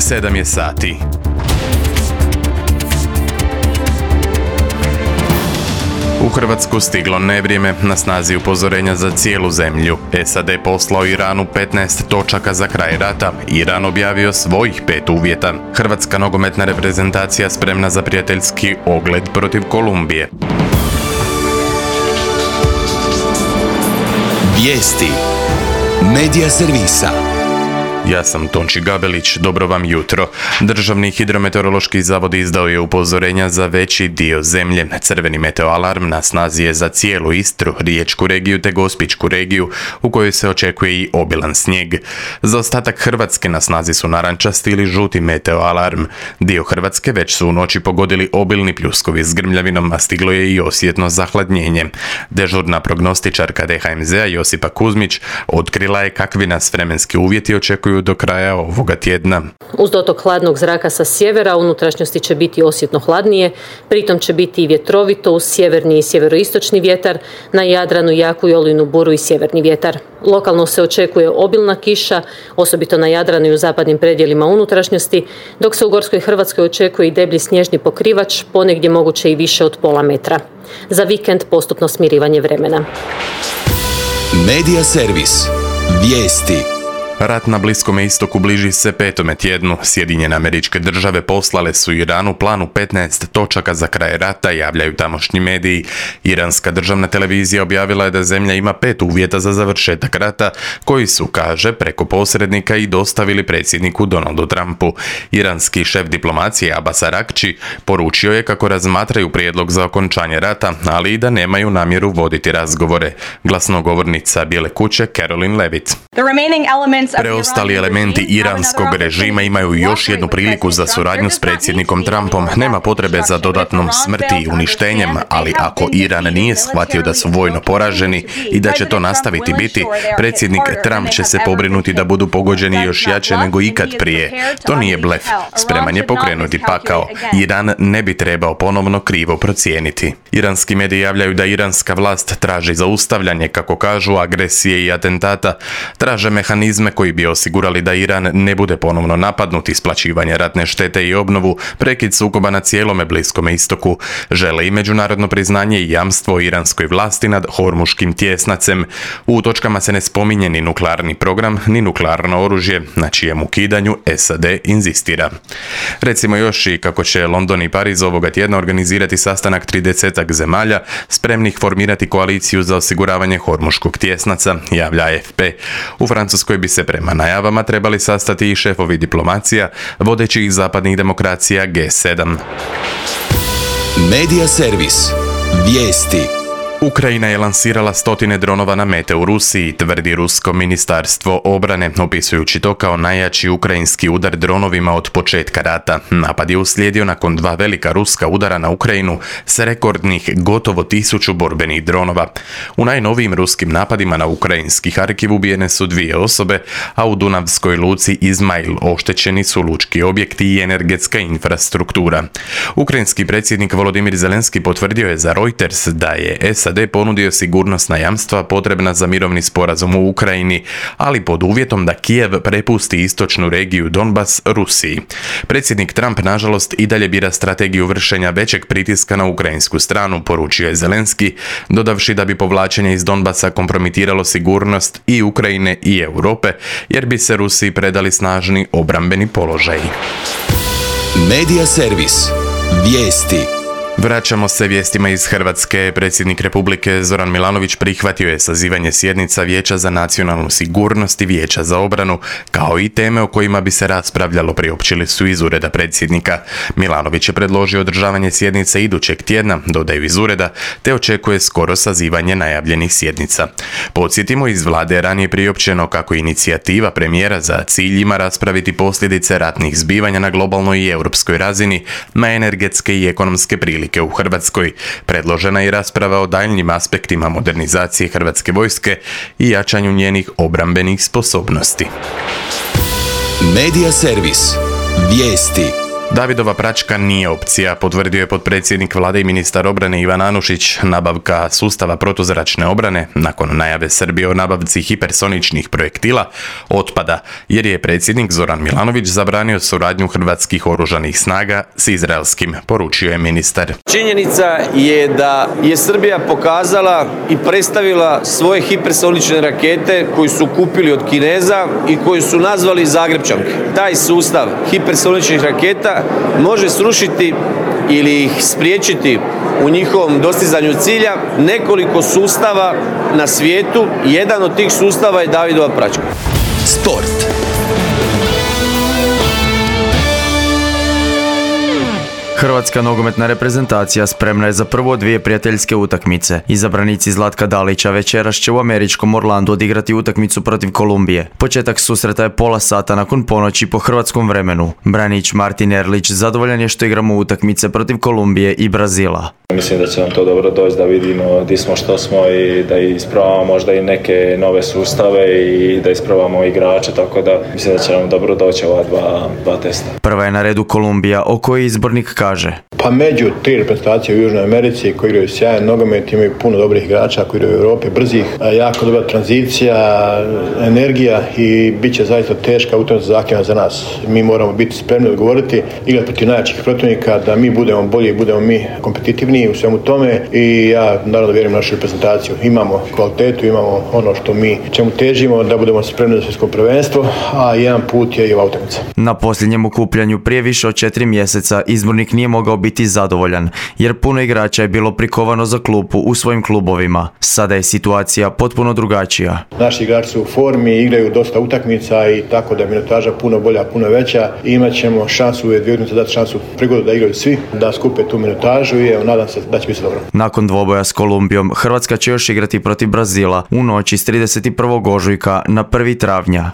7 je sati. U Hrvatsku stiglo nevrijeme, na snazi upozorenja za cijelu zemlju. SAD poslao Iranu 15 točaka za kraj rata. Iran objavio svojih 5 uvjeta. Hrvatska nogometna reprezentacija spremna za prijateljski ogled protiv Kolumbije. Vijesti Medija servisa. Ja sam Tonči Gabelić, dobro vam jutro. Državni hidrometeorološki zavod izdao je upozorenja za veći dio zemlje. Crveni meteoalarm na snazi je za cijelu Istru, Riječku regiju te Gospićku regiju, u kojoj se očekuje i obilan snijeg. Za ostatak Hrvatske na snazi su narančasti ili žuti meteoalarm. Dio Hrvatske već su u noći pogodili obilni pljuskovi s grmljavinom, a stiglo je i osjetno zahladnjenje. Dežurna prognostičarka DHMZ-a Josipa Kuzmić otkrila je kakvi nas vremenski uvjeti očekuju do kraja ovoga tjedna. Uz dotok hladnog zraka sa sjevera, u unutrašnjosti će biti osjetno hladnije, pritom će biti i vjetrovito uz sjeverni i sjeveroistočni vjetar, na Jadranu jaku i olujnu buru i sjeverni vjetar. Lokalno se očekuje obilna kiša, osobito na Jadranu i u zapadnim predjelima unutrašnjosti, dok se u Gorskoj Hrvatskoj očekuje i deblji snježni pokrivač, ponegdje moguće i više od pola metra. Za vikend postupno smirivanje vremena. Medija servis. Vijesti. Rat na Bliskom istoku bliži se 5. tjednu. Sjedinjene Američke Države poslale su Iranu planu 15 točaka za kraj rata, javljaju tamošnji mediji. Iranska državna televizija objavila je da zemlja ima 5 uvjeta za završetak rata, koji su, kaže, preko posrednika i dostavili predsjedniku Donaldu Trumpu. Iranski šef diplomacije Abbas Araghči poručio je kako razmatraju prijedlog za okončanje rata, ali i da nemaju namjeru voditi razgovore. Glasnogovornica Bijele kuće Caroline Levitt. Preostali elementi iranskog režima imaju još jednu priliku za suradnju s predsjednikom Trumpom. Nema potrebe za dodatnom smrti i uništenjem, ali ako Iran nije shvatio da su vojno poraženi i da će to nastaviti biti, predsjednik Trump će se pobrinuti da budu pogođeni još jače nego ikad prije. To nije blef. Spreman je pokrenuti pakao. Iran ne bi trebao ponovno krivo procijeniti. Iranski mediji javljaju da iranska vlast traži zaustavljanje, kako kažu, agresije i atentata. Traže mehanizme koji bi osigurali da Iran ne bude ponovno napadnut, isplaćivanje ratne štete i obnovu, prekid sukoba na cijelome Bliskom istoku. Žele i međunarodno priznanje i jamstvo iranskoj vlasti nad Hormuškim tjesnacem. U točkama se ne spominje ni nuklearni program, ni nuklearno oružje, na čijem ukidanju SAD inzistira. Recimo još i kako će London i Pariz ovoga tjedna organizirati sastanak 30 zemalja spremnih formirati koaliciju za osiguravanje Hormuškog tjesnaca, javlja AFP. U Francuskoj bi se prema najavama trebali sastati i šefovi diplomacija vodećih zapadnih demokracija G7. Medija servis. Vijesti. Ukrajina je lansirala 100 dronova na mete u Rusiji, tvrdi rusko ministarstvo obrane, opisujući to kao najjači ukrajinski udar dronovima od početka rata. Napad je uslijedio nakon 2 velika ruska udara na Ukrajinu s rekordnih gotovo 1000 borbenih dronova. U najnovijim ruskim napadima na ukrajinski Harkiv ubijene su 2 osobe, a u Dunavskoj luci Izmail oštećeni su lučki objekti i energetska infrastruktura. Ukrajinski predsjednik Volodimir Zelenski potvrdio je za Reuters da je SAD ponudio sigurnosna jamstva potrebna za mirovni sporazum u Ukrajini, ali pod uvjetom da Kijev prepusti istočnu regiju Donbas Rusiji. Predsjednik Trump, nažalost, i dalje bira strategiju vršenja većeg pritiska na ukrajinsku stranu, poručio je Zelenski, dodavši da bi povlačenje iz Donbasa kompromitiralo sigurnost i Ukrajine i Europe, jer bi se Rusiji predali snažni obrambeni položaji. Medija servis. Vijesti. Vraćamo se vijestima iz Hrvatske. Predsjednik Republike Zoran Milanović prihvatio je sazivanje sjednica Vijeća za nacionalnu sigurnost i Vijeća za obranu, kao i teme o kojima bi se raspravljalo, priopćili su iz ureda predsjednika. Milanović je predložio održavanje sjednice idućeg tjedna, dodaju iz ureda, te očekuje skoro sazivanje najavljenih sjednica. Podsjetimo, iz vlade je ranije priopćeno kako inicijativa premijera za cilj ima raspraviti posljedice ratnih zbivanja na globalnoj i europskoj razini na energetske i ekonomske prilike u Hrvatskoj. Predložena je rasprava o daljnjim aspektima modernizacije Hrvatske vojske i jačanju njenih obrambenih sposobnosti. Medija servis. Vijesti. Davidova praćka nije opcija, potvrdio je potpredsjednik vlade i ministar obrane Ivan Anušić. Nabavka sustava protuzračne obrane, nakon najave Srbije o nabavci hipersoničnih projektila, otpada, jer je predsjednik Zoran Milanović zabranio suradnju hrvatskih oružanih snaga s izraelskim, poručio je ministar. Činjenica je da je Srbija pokazala i predstavila svoje hipersonične rakete koju su kupili od Kineza i koju su nazvali Zagrebčanke. Taj sustav hipersoničnih raketa može srušiti ili ih spriječiti u njihovom dostizanju cilja nekoliko sustava na svijetu. Jedan od tih sustava je Davidova praćka. Sport. Hrvatska nogometna reprezentacija spremna je za prvo dvije prijateljske utakmice. Izabranici Zlatka Dalića večeras će u američkom Orlandu odigrati utakmicu protiv Kolumbije. Početak susreta je pola sata nakon ponoći po hrvatskom vremenu. Branić Martin Erlić zadovoljan je što igramo utakmice protiv Kolumbije i Brazila. Mislim da će nam to dobro doći da vidimo gdje smo, što smo i da ispravamo možda i neke nove sustave i da ispravamo igrače, tako da mislim da će nam dobro doći ova dva testa. Prva je na redu Kolumbija, o kojoj izbornik kaže: Pa među tri reprezentacije u Južnoj Americi koji igraju sjajan nogomet, imaju puno dobrih igrača koji igraju u Europi, brzih, jako dobra tranzicija, energija i bit će zaista teška utakmica zahtjevna za nas. Mi moramo biti spremni odgovoriti, igrati protiv najjačih protivnika, da mi budemo bolji, budemo mi kompetitivni u svemu tome i ja naravno vjerujem našu reprezentaciju. Imamo kvalitetu, imamo ono što mi čemu težimo, da budemo spremni za svjetsko prvenstvo, a jedan put je i ova utakmica. Na posljednjem okupljanju prije više od 4 mjeseca izbornik nije mogao biti zadovoljan, jer puno igrača je bilo prikovano za klupu u svojim klubovima. Sada je situacija potpuno drugačija. Naši igrači su u formi, igraju dosta utakmica i tako da je minutaža puno bolja, puno veća. Imat ćemo šansu u dvije utakmice dati šansu prigodu da igraju svi, da skupe tu minutažu i nadam se da će biti dobro. Nakon dvoboja s Kolumbijom, Hrvatska će još igrati protiv Brazila u noći s 31. ožujka na 1. travnja.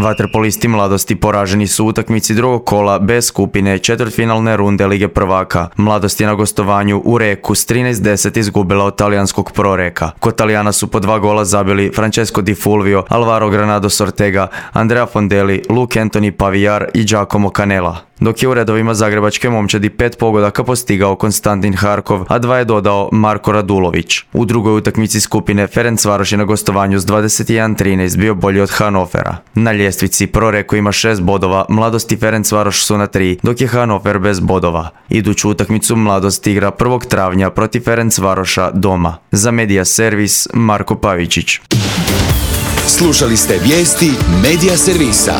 Vaterpolisti Mladosti poraženi su u utakmici drugog kola B skupine četvrtfinalne runde Lige prvaka. Mladost je na gostovanju u Reku s 13:10 izgubila od talijanskog Proreka. Kod Talijana su po 2 gola zabili Francesco Di Fulvio, Alvaro Granados Ortega, Andrea Fondelli, Luke Anthony Pavillar i Giacomo Canella. Dok je u redovima zagrebačke momčadi 5 pogodaka postigao Konstantin Harkov, a 2 je dodao Marko Radulović. U drugoj utakmici skupine Ferencvaroš je na gostovanju s 21:13 bio bolji od Hannovera. Na ljestvici Proreko ima 6 bodova, Mladost i Ferencvaroš su na 3, dok je Hannover bez bodova. Iduću utakmicu Mladost igra 1. travnja protiv Ferencvaroša doma. Za Media Servis Marko Pavičić. Slušali ste vijesti Media Servisa.